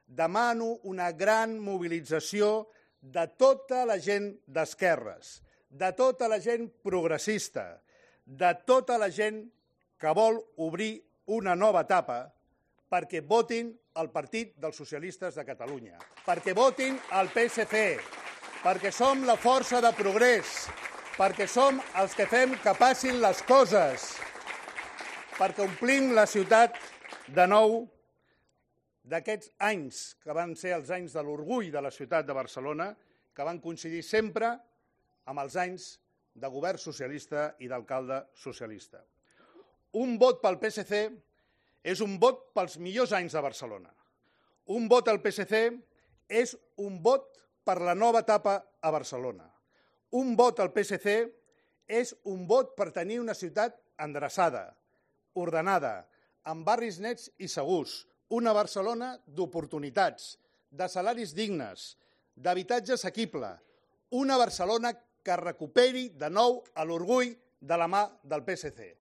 demano una gran mobilització de tota la gent d'esquerres, de tota la gent progressista, de tota la gent que vol obrir una nova etapa perquè votin el Partit dels Socialistes de Catalunya, perquè votin el PSC, perquè som la força de progrés, perquè som els que fem que passin les coses, perquè omplim la ciutat de nou d'aquests anys que van ser els anys de l'orgull de la ciutat de Barcelona, que van coincidir sempre amb els anys de govern socialista i d'alcalde socialista. Un vot pel PSC és un vot pels millors anys de Barcelona. Un vot al PSC és un vot per la nova etapa a Barcelona. Un vot al PSC és un vot per tenir una ciutat endreçada, ordenada, amb barris nets i segurs, una Barcelona d'oportunitats, de salaris dignes, d'habitatge assequible, una Barcelona que recuperi de nou l'orgull de la mà del PSC.